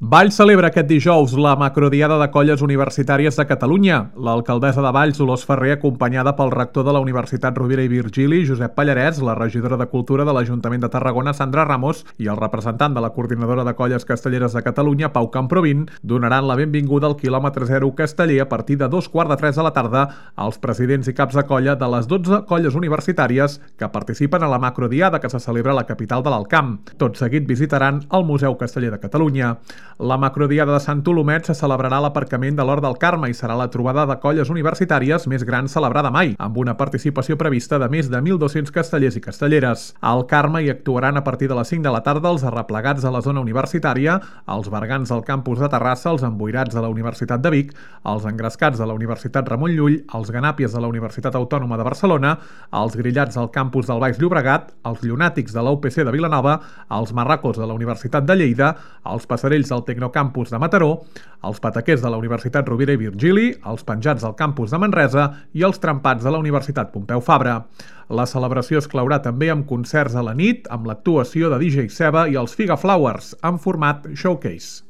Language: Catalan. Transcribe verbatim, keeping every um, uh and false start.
Valls celebra aquest dijous la macrodiada de colles universitàries de Catalunya. L'alcaldessa de Valls, Dolors Ferrer, acompanyada pel rector de la Universitat Rovira i Virgili, Josep Pallarès, la regidora de Cultura de l'Ajuntament de Tarragona, Sandra Ramos, i el representant de la Coordinadora de Colles Castelleres de Catalunya, Pau Camprovin, donaran la benvinguda al quilòmetre zero casteller a partir de dos quarts de tres de la tarda als presidents i caps de colla de les dotze colles universitàries que participen a la macrodiada que se celebra a la capital de l'Alt Camp. Tot seguit visitaran el Museu Casteller de Catalunya. La macrodiada de Sant Olomet se celebrarà a l'aparcament de l'Hort del Carme i serà la trobada de colles universitàries més gran celebrada mai, amb una participació prevista de més de mil dos-cents castellers i castelleres. Al Carme hi actuaran a partir de les cinc de la tarda els arreplegats de la zona universitària, els bergants del campus de Terrassa, els emboirats de la Universitat de Vic, els engrescats de la Universitat Ramon Llull, els ganàpies de la Universitat Autònoma de Barcelona, els grillats del campus del Baix Llobregat, els llunàtics de la U P C de Vilanova, els marracos de la Universitat de Lleida, els passarells del Tecnocampus de Mataró, els pataquers de la Universitat Rovira i Virgili, els penjats del campus de Manresa i els trempats de la Universitat Pompeu Fabra. La celebració es claurà també amb concerts a la nit, amb l'actuació de D J Seba i els Figa Flowers, en format showcase.